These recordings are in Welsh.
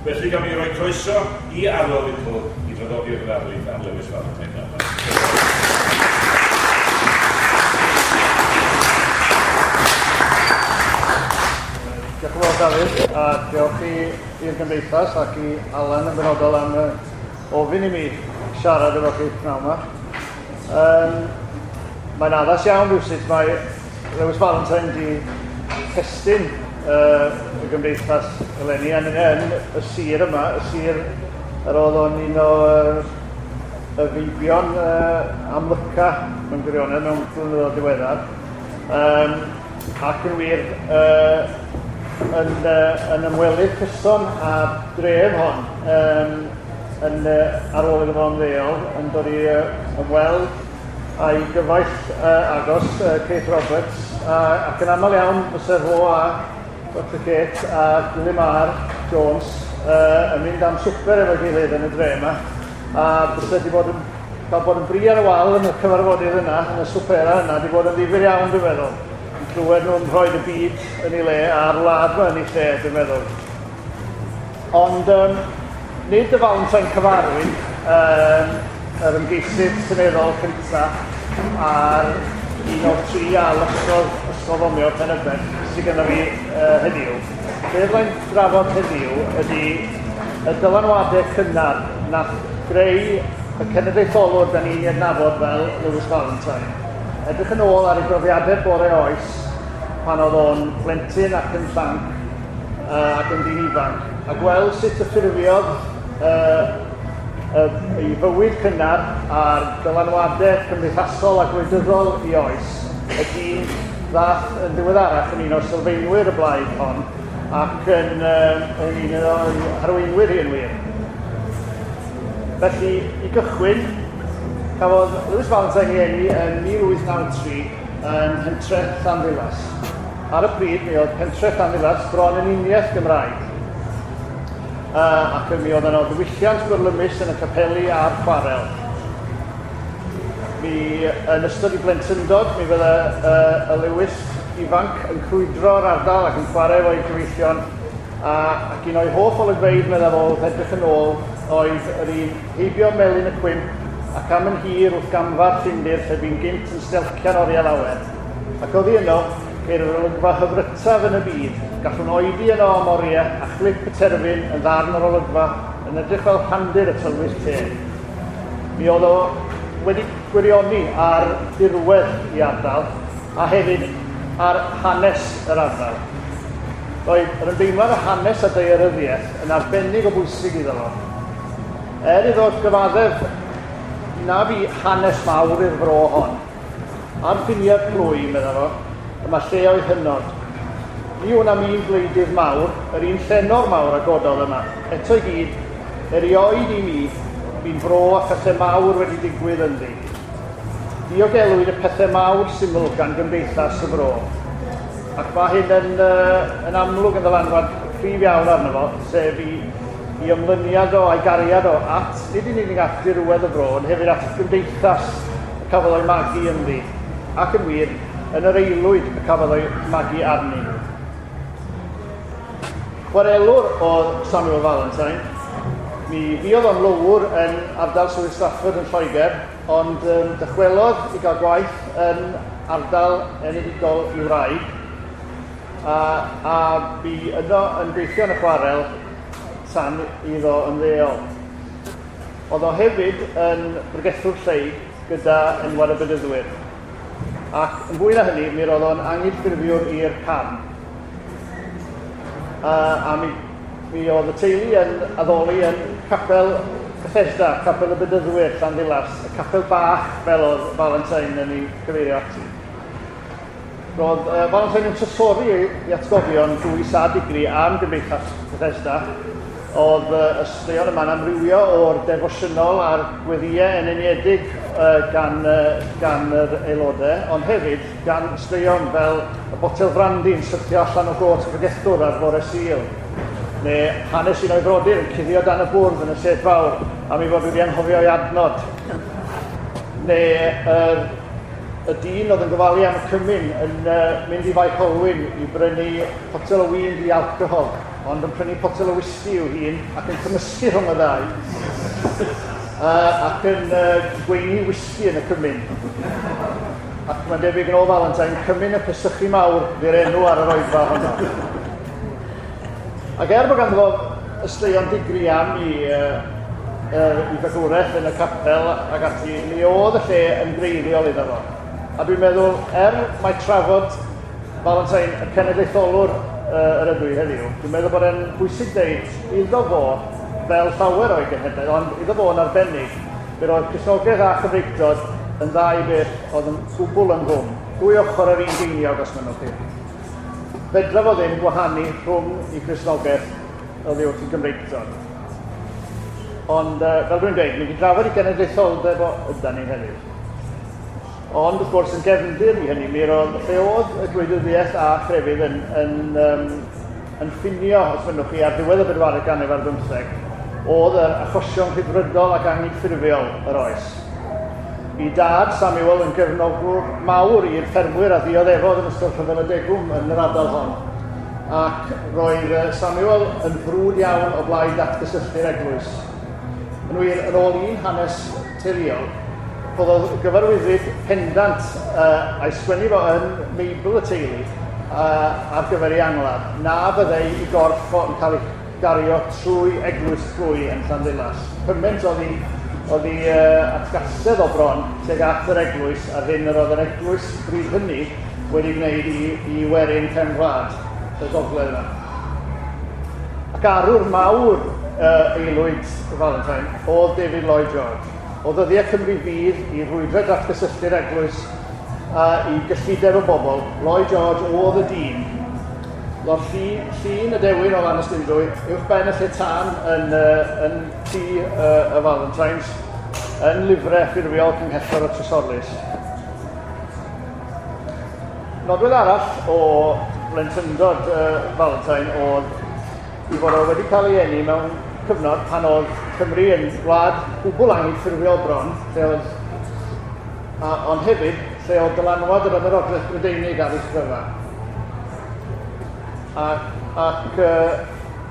Felly gawn ni roi croeso i Arwel Little i draddodi'r ddarlith ar Lewis Valentine nawr. Diolch yn fawr Dafydd, a diolch i'r Gymdeithas ac i Alan yn benodol am ofyn i mi siarad efo chi pnawn yma. Mae'n addas iawn rhywsut mae Lewis Valentine di testun y Gymdeithas eleni, a ni'n yn y sir yma, y sir yr oedd o'n un o y feibion amlyca mewn gwirionedd mewn blynyddoedd diweddar. Ac yn wir yn ymwelydd cyson â'r dref hon, ar ôl iddo fo ymddeol, yn dod i ymweld a'i gyfaill agos, Kate Roberts, ac yn aml iawn fysa fo a Dr Kate a Gwilym R Jones yn mynd am swper efo'i gilydd yn y dre yma, a fysa wedi bod yn cael bod yn bri ar y wal yn y cyfarfodydd yna, yn y swpera yna, wedi bod yn ddifyr iawn dwi'n meddwl, yn clywed nhw'n rhoi y byd yn ei le a'r wlad yma yn ei lle dwi'n meddwl. Ond nid y Valentine cyfarwydd, yr ymgeisydd seneddol cyntaf a'r un o'r tri a losgodd Ysgol Fomio Pen-y-bont sydd gyda fi heddiw. Be fyddai'n drafod heddiw ydy y dylanwadau cynnar nath greu y cenedlaetholwr da ni'n ei adnabod fel Lewis Valentine. Edrych yn ôl ar ei brofiadau bore oes pan oedd o'n blentyn ac yn llanc ac yn ddyn ifanc, a gweld sut y ffurfiodd ei fywyd cynnar a'r dylanwadau cymdeithasol a gwleidyddol i oes, y dyn ddath yn ddiweddarach yn un o sylfaenwyr y blaid hon ac yn un o'i harweinwyr hi yn wir. Felly, i gychwyn, cafodd Lewis Valentine ei eni yn 1893 yn pentre Llanddulas. Ar y pryd, mi oedd pentre Llanddulas bron yn uniaith Gymraeg. Ac mi oedd yno ddiwylliant byrlymus yn y capeli a'r chwarel. Mi, yn ystod ei blentyndod, mi fydde y Lewis ifanc yn crwydro'r ardal ac yn chwarae efo'i gyfeillion, ac un o'i hoff olygfeydd, meddai fo, wrth edrych yn ôl, oedd yr un heibio Melin y Cwymp ac am yn hir wrth gamfa'r Ffindir lle bu'n gynt yn stelcian oriau lawer. Ac oddi yno, ceir yr olygfa hyfrytaf yn y byd. Gallwn oedi yno am oriau a chlip y terfyn yn ddarn o'r olygfa yn edrych fel rhandir y tylwyth teg. Mi oedd o wedi gwirioni ar dirwedd i ardal a hefyd ar hanes yr ardal. Roedd yr ymdeimlad o hanes a daearyddiaeth yn arbennig o bwysig iddo fo. Er iddo gyfaddef na fu hanes mawr i'r fro hon, ar ffiniau'r plwy, medda fo, y mae lleoedd hynod. Ni wn am un gwleidydd mawr, yr un llenor mawr a gododd yma. Eto i gyd, erioed i mi, bu'n fro a phethau mawr wedi digwydd ynddi. Diogelwyd y pethau mawr syml gan gymdeithas y fro. Ac mae hyn yn amlwg yn ddylanwad cryf iawn arno fo, sef i ymlyniad o a'i gariad o at, nid yn unig at dirwedd y fro, ond hefyd at gymdeithas y cafodd o'i magu ynddi, ac yn wir, yn yr aelwyd y cafodd o'i magu arni. Chwarelwr oedd Samuel Valentine. Mi fuodd o'n lowr yn ardal Swydd Stafford yn Lloegr, ond dychwelodd i gael gwaith yn ardal enedigol i wraig, a bu yno yn gweithio yn y chwarel tan iddo ymddeol. Oedd o hefyd yn bregethwr lleyg gyda enwad y Bedyddwyr. Ac yn fwy na hynny, mi roedd o'n anghydffurfiwr i'r carn. A mi oedd y teulu yn addoli yn capel Bethesda, capel y Bedyddwyr, Llanddulas, y capel bach fel oedd Valentine yn ei cyfeirio ati. Roedd Valentine yn trysori ei atgofion dwys a digri am gymdeithas Bethesda. Oedd y straeon yma'n amrywio o'r defosiynol a'r gweddïau eneniedig gan yr aelodau, ond hefyd gan straeon fel y botel frandi yn syrthio allan o got y pregethwr ar fore Sul, neu hanes un o'i frodyr yn cuddio dan y bwrdd yn y sedd fawr am ei fod wedi anghofio ei adnod, neu y dyn oedd yn gofalu am y cymun yn mynd i Fae Colwyn i brynu potel o win di-alcohol. ond yn prynu potel o whisky i'w hun ac yn cymysgu rhwng y ddau ac yn gweini whisky yn y cymun. Ac mae'n debyg yn ôl Valentine, cymun y pesychu mawr fy'r enw ar yr oedfa honno. Ac er bod ganddo fo ysteuon digri am i, i fagwraeth yn y capel ac ati, mi oedd y lle yn greiddiol iddo fo. A dwi'n meddwl, er mae trafod Valentine y cenedlaetholwr yr ydw i heddiw, dwi'n meddwl bod e'n bwysig deud iddo fo, fel llawer o'i genhedlaeth, ond iddo fo yn arbennig, fe roedd Cristnogaeth a Chymreictod yn ddau beth oedd yn gwbl ynghlwm. Dwy ochr yr un geiniog, os mynnwch chi. Fedra fo ddim gwahanu rhwng i Cristnogaeth oddi wrth i Gymreictod. Ond, fel dwi'n dweud, mi wedi drafod i genedlaetholdeb o ydan ni heddiw. Ond, wrth gwrs, yn gefndir i hynny, mi roedd lle oedd y gwleidyddiaeth a chrefydd yn ffinio, os mynnwch chi, ar ddiwedd y bedwaredd ganrif ar bymtheg, oedd yr achosion rhyddfrydol ac anghydffurfiol yr oes. I dad Samuel yn gefnogwr mawr i'r ffermwyr a ddioddefodd yn ystod Rhyfel y Degwm yn yr ardal hon. Ac roedd Samuel yn frwd iawn o blaid datgysylltu'r eglwys. Yn wir, yn ôl un hanes teuluol, rhoddodd gyfarwyddyd pendant a'i sgwennu fo yn Meibl y teulu ar gyfer ei angladd, na fyddai i gorff o yn cael ei gario trwy eglwys plwy yn Llanddulas. Cymaint oedd ei atgasedd o bron tuag at yr eglwys a'r hyn yr oedd yr eglwys bryd hynny wedi gwneud i werin cefn gwlad y gogledd yma. Ac arwr mawr aelwyd Valentine oedd David Lloyd George. O ddyddiau Cymru Fydd i rwydro datgysylltu'r eglwys a i gyllideb y bobl, Lloyd George oedd y dyn. Lord llun y dewin o Lanystumdwy, uwch ben y lle tân yn tŷ y Valentines, yn lyfrau ffurfiol Cynghellor y Trysorlys. Nodwedd arall o blentyndod Valentine oedd i fod o wedi cael ei eni mewn cyfnod pan oedd Cymru yn wlad gwbl anghydffurfiol bron, lle oedd, ond hefyd lle oedd dylanwad yr Ymerodraeth Brydeinig ar ei chryfa. Ac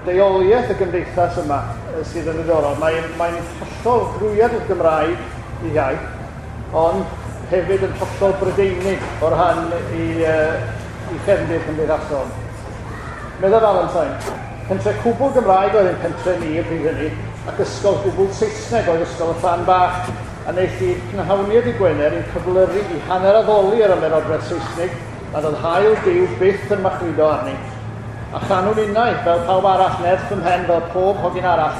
deuoliaeth y gymdeithas yma sydd yn ddiddorol. Mae'n hollol drwyadl Gymraeg i iaith, ond hefyd yn hollol Brydeinig o ran i chefndir cymdeithasol. Medda Valentine, pentre cwbl Gymraeg oedd ein pentre ni y pryd hynny, ac ysgol gwbl Saesneg oedd ysgol y Llan Bach, a wnaeth i cnhawniad i Gwener i'n cyflyru i hanner addoli yr Ymerodraeth Saesnig, nad oedd haul Duw byth yn machludo arni. A chanwn innau, fel pawb arall, nerth fy mhen fel pob hogyn arall.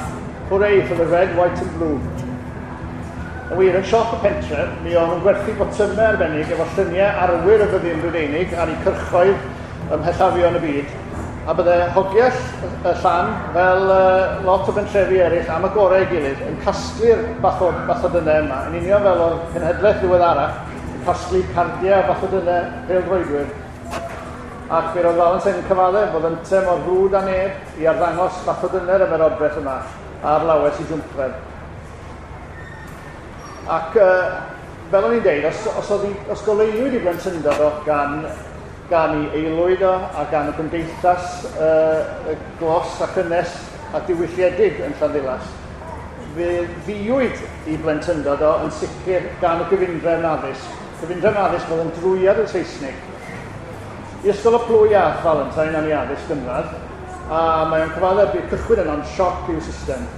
Hooray for the red, white and blue. Yn wir, yn siop y pentre, mi o'n nhw'n gwerthu botymau arbennig efo lluniau arwyr y fyddin Brydeinig ar eu cyrchoedd ym mhellafion y byd. A bydde hogiau y llan, fel lot o bentrefi eraill am y gorau ei gilydd, yn casglu'r bathodynnau yma, yn union fel o'r cenhedlaeth ddiweddarach, yn casglu cardiau a bathodynnau pêl-droedwyr. Ac fe roedd Valentine yn cyfaddef bod ynte mor frwd â neb i arddangos bathodynnau'r ymerodraeth yma ar lawes i jwmpred. Ac fel o'n i'n deud, os goleuwyd i blentyndod o gan ei aelwyd o a gan y gymdeithas y glos a chynnes a diwylliedig yn Llanddulas, fe ddiwyd i blentyndod o yn sicr gan y gyfundrefn addysg. Gyfundrefn addysg oedd yn drwyad y Saesnig. I ysgol y plwy a Valentine am ei addysg gynradd, a mae o'n cyfaddef bu'r cychwyn yno'n sioc i'w system.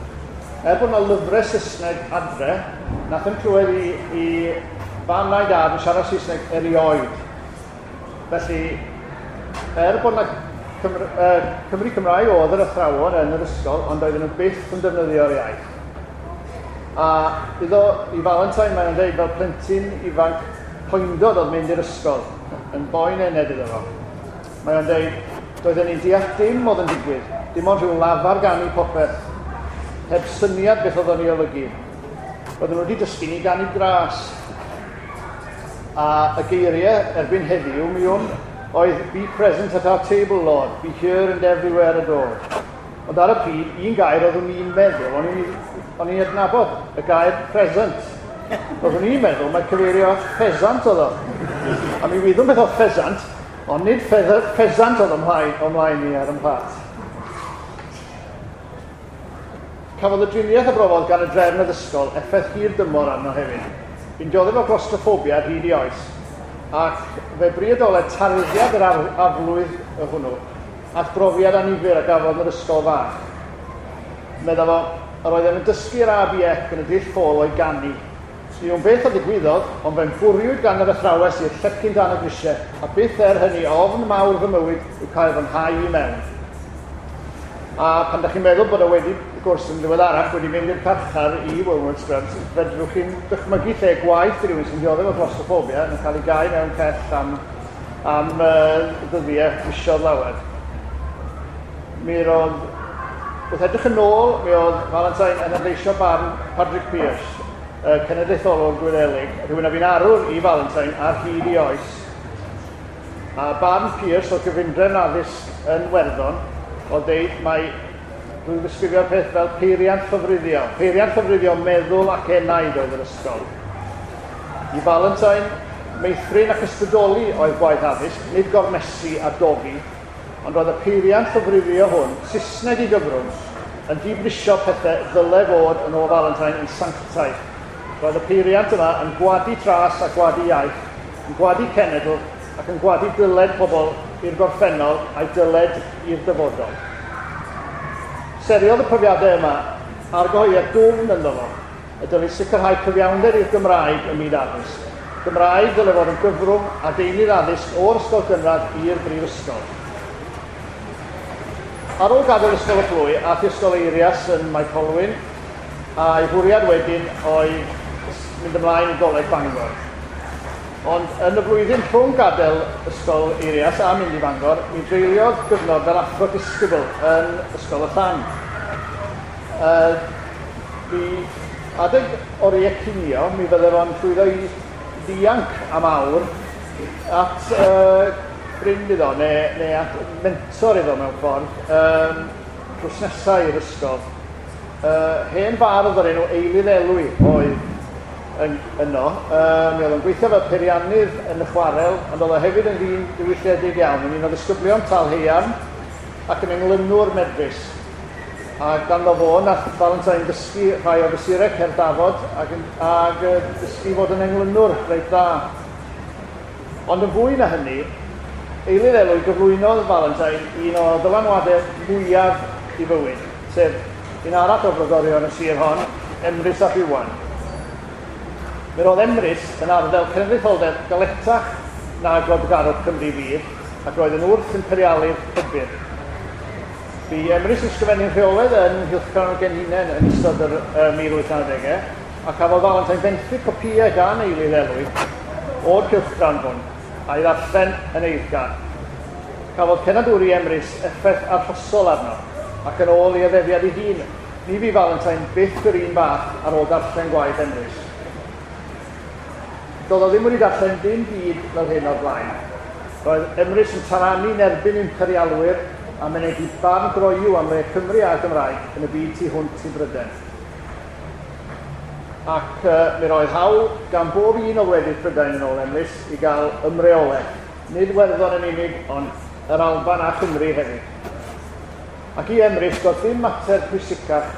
Er bod yna lyfrau Saesneg adre, nath yn clywed i fam na'i dad yn siarad Saesneg erioed. Felly, er bod yna Cymry Cymraeg oedd yr athrawon yn yr ysgol, ond oedden nhw byth yn defnyddio'r iaith. A iddo i Valentine mae'n dweud fel plentyn ifanc poendod oedd mynd i'r ysgol, yn boen ened iddo fo. Mae o'n dweud, doedden ni'n deall dim oedd yn digwydd, dim ond rhyw lafar ganu popeth, heb syniad beth oedd o'n ei olygu. Roedden nhw wedi dysgu ni ganu gras. A y geiriau erbyn heddiw, mi wn, oedd be present at our table, Lord, be here and everywhere adored. Ond ar y pryd, un gair oeddwn i'n meddwl, o'n i'n adnabod y gair present. Oeddwn i'n meddwl, mae cyfeirio at pheasant oedd o. A mi wyddwn beth oedd pheasant, ond nid pheasant oedd ymlaen i ar ym mhlat. Cafodd y driniaeth a brofodd gan y drefn addysgol effaith hir dymor arno hefyd. Bu'n dioddef o glostroffobia ar hyd ei oes, ac fe briodoled tarddiad yr aflwydd hwnnw at brofiad annifyr a gafodd yn yr ysgol fach. Medda fo, yr oeddem yn dysgu'r A B Ec yn y dull ffôl o'i ganu. Ni wn beth a ddigwyddodd, ond fe'm bwriwyd gan yr athrawes i'r llecyn dan y grisiau, a byth er hynny ofn mawr fy mywyd yw cael fy nghau i mewn. A pan da chi'n meddwl bod o wedi, wrth gwrs, yn ddiweddarach wedi mynd i'r carchar i Wormwood Scrubs, fedrwch chi'n dychmygu lle gwaith i rywun sy'n dioddef o glostrophobia yn cael ei gau mewn cell am ddyddiau misoedd lawer. Mi roedd, wrth edrych yn ôl, mi oedd Valentine yn adleisio barn Patrick Pearse, y cenedlaetholwr Gwyddelig, rhywun a fu'n arwr i Valentine ar hyd ei oes. A barn Pearse o gyfundrefn addysg yn Werddon oedd deud mai drwy ddisgrifio'r peth fel peiriant llofruddio. Peiriant llofruddio meddwl ac enaid oedd yr ysgol. I Valentine, meithrin ac ysbrydoli oedd gwaith addysg, nid gormesu a dofi, ond roedd y peiriant llofruddio hwn, Saesneg i gyfrwng, yn dibrisio pethau ddyle fod yn ôl Valentine yn sanctaidd. Roedd y peiriant yma yn gwadu tras a gwadu iaith, yn gwadu cenedl ac yn gwadu dyled pobl i'r gorffennol a'i dyled i'r dyfodol. Seriodd y profiadau yma argyhoeddiad dwfn ynddo fo, y dylid sicrhau cyfiawnder i'r Gymraeg ym myd addysg. Gymraeg dylai fod yn gyfrwng a deunydd addysg o'r ysgol gynradd i'r brifysgol. Ar ôl gadael Ysgol y Plwy, aeth i Ysgol Eirias yn Mae Colwyn, a'i fwriad wedyn oedd mynd ymlaen i Goleg Bangor. Ond yn y flwyddyn rhwng gadael Ysgol Eirias a mynd i Fangor, mi dreuliodd gyfnod fel athro disgybl yn Ysgol y Llan. Mi adeg oriau cinio, mi fydde fo'n llwyddo i ddianc am awr at ffrind iddo, neu at mentor iddo mewn ffordd, drws nesaf i'r ysgol. Hen fardd o'r enw Eilydd Elwy oedd yno. Mi oedd o'n gweithio fel peiriannydd yn y chwarel, ond oedd o hefyd yn ddyn diwylliedig iawn, yn un o ddisgyblion Talheiarn ac yn englynwr medrus. A ganddo fo, nath Valentine ddysgu rhai o fesurau cerdd dafod ac dysgu fod yn englynwr reit dda. Ond yn fwy na hynny, Eilydd Elwy gyflwynodd Valentine un o ddylanwadau mwyaf i fywyd, sef un arall o frodorion y sir hon, Emrys ap Iwan. Mi roedd Emrys yn arddel cenedlaetholdeb galetach na gwladgarwch Cymru fydd, ac roedd yn wrth imperialydd pybyr. Bu Emrys yn ysgrifennu'n rheolaidd yn Nghylchgrawn y Genhinen yn ystod yr 1890au, a cafodd Valentine benthyg copïau gan Eilydd Elwy o'r cylchgrawn hwn, a'i ddarllen yn eiddgar. Cafodd cenadwri Emrys effaith arhosol arno, ac yn ôl ei addefiad ei hun, ni fu Valentine byth yr un fath ar ôl darllen gwaith Emrys. Doedd o ddim wedi darllen dim byd fel hyn o'r blaen. Roedd Emrys yn taranu'n erbyn imperialwyr a mynegi barn groyw am le Cymru a'r Gymraeg yn y byd tu hwnt i Brydain. Ac mi roedd hawl gan bob un o wledydd Prydain yn ôl Emrys i gael ymreolaeth, nid Werddon yn unig, ond yr Alban a Chymru hefyd. Ac i Emrys, doedd dim mater pwysicach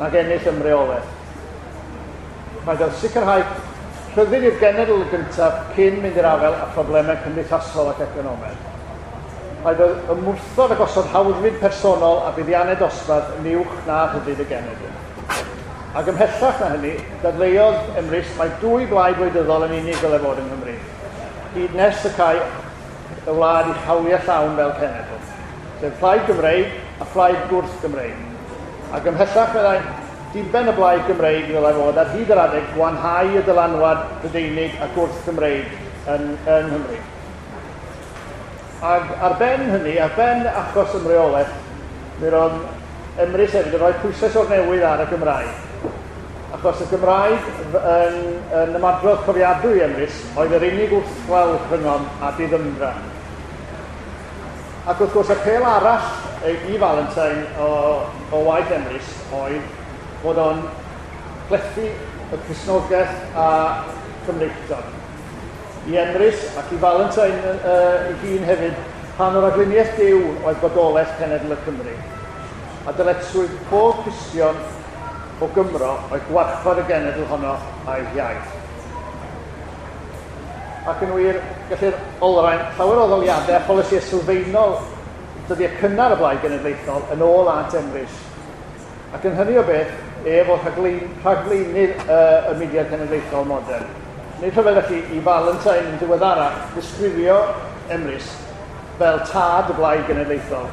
nag ennill ymreolaeth. Rhaid oedd sicrhau rhyddid i'r genedl gyntaf cyn mynd i'r afael â phroblemau cymdeithasol ac economaidd. Rhaid oedd ymwrthod a gosod hawddfyd personol a buddiannau dosbarth yn uwch na rhyddid y genedl. Ac ymhellach na hynny, dadleuodd Emrys mai dwy blaid wleidyddol yn unig ddylai fod yng Nghymru, hyd nes y cae y wlad i hawliau llawn fel cenedl, sef Plaid Gymreig a Phlaid Gwrth Gymreig. Ac ymhellach, meddai, diben y Blaid Gymreig ddylai fod ar hyd yr adeg gwanhau y dylanwad Prydeinig a Gwrth Gymreig yng Nghymru. Ac ar ben hynny, ar ben achos ymreolaeth, mi roedd Emrys hefyd yn rhoi pwyslais o'r newydd ar y Gymraeg. Achos y Gymraeg yn ymadrodd cofiadwy Emrys oedd yr unig wrthwel rhyngom a diddymdra. Ac wrth gwrs, apêl arall i Valentine o waith Emrys oedd fod o'n plethu y Cristnogaeth a Chymreictod. I Emrys ac i Valentine ei hun hefyd, rhan o'r rhagluniaeth Duw oedd bodolaeth cenedl y Cymru. A dyletswydd pob Cristion o Gymro oedd gwarchod y genedl honno a'i hiaith. Ac yn wir, gellir olrhain llawer o ddaliadau a pholisïau sylfaenol dyddiau cynnar y Blaid Genedlaethol yn ôl at Emrys. Ac yn hynny o beth, ef oedd rhagflaenydd y mudiad cenedlaethol modern. Nid rhyfedd felly i Valentine yn ddiweddarach ddisgrifio Emrys fel tad y Blaid Genedlaethol.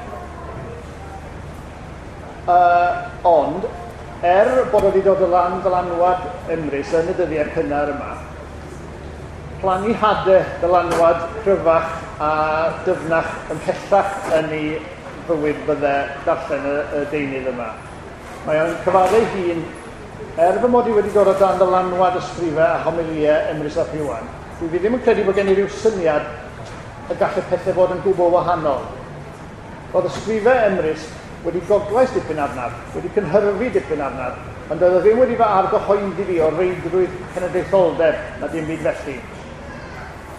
Ond, er bod o wedi dod o lan dylanwad Emrys yn y dyddiau cynnar yma, plannu hadau dylanwad cryfach a dyfnach ymhellach yn ei fywyd fydde darllen y deunydd yma. Mae o'n cyfadde ei hun, er fy mod i wedi dod o dan ddylanwad ysgrifau a homiliau Emrys ap Iwan, dwi fi ddim yn credu bod gen i ryw syniad y gall y pethau fod yn gwbl wahanol. Roedd ysgrifau Emrys wedi goglais dipyn arnaf, wedi cynhyrfu dipyn arnaf, ond doedd o ddim wedi fy argyhoeddi fi o reidrwydd cenedlaetholdeb na dim byd felly.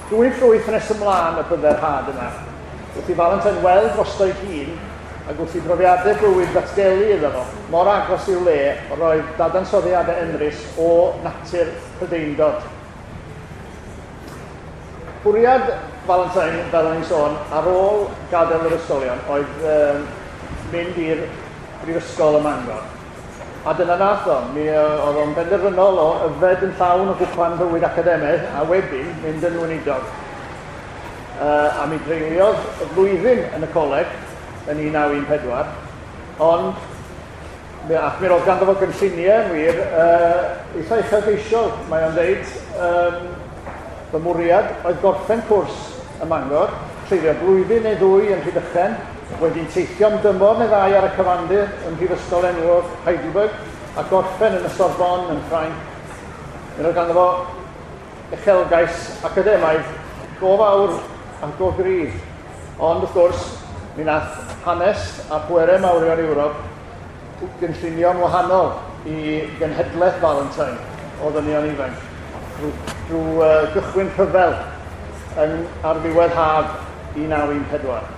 Dwy ffrwyth nes ymlaen y bydde'r had yma. Wrth i Valentine weld drosto'i hun, ac wrth i brofiadau bywyd ddatgelu iddo fo, mor agos i'w le roedd dadansoddiadau Emrys o natur Prydeindod. Bwriad Valentine, fel o'n i'n sôn, ar ôl gadael yr ysgolion, oedd mynd i'r brifysgol ym Mangor. A dyna nath o. Mi oedd o'n benderfynol o yfed yn llawn o gwpan bywyd academaidd a wedyn mynd yn weinidog. A mi dreuliodd y flwyddyn yn y coleg yn 1914, ond ac mi roedd ganddo fo gynlluniau yn wir eitha uchelgeisiol. Mae o'n dweud, fy mwriad oedd gorffen cwrs ym Mangor, treulio blwyddyn neu ddwy yn Rhydychen, wedyn teithio am dymor neu ddau ar y cyfandir ym Mhrifysgol enwog Heidelberg, a gorffen yn y Sorbonne yn Ffrainc. Mi roedd ganddo fo uchelgais academaidd go fawr a go gryf. Ond wrth gwrs, mi nath hanes a pwerau mawrion Ewrop gynllunio'n wahanol i genhedlaeth Valentine o ddynion ifanc drwy gychwyn rhyfel ar ddiwedd haf 1914.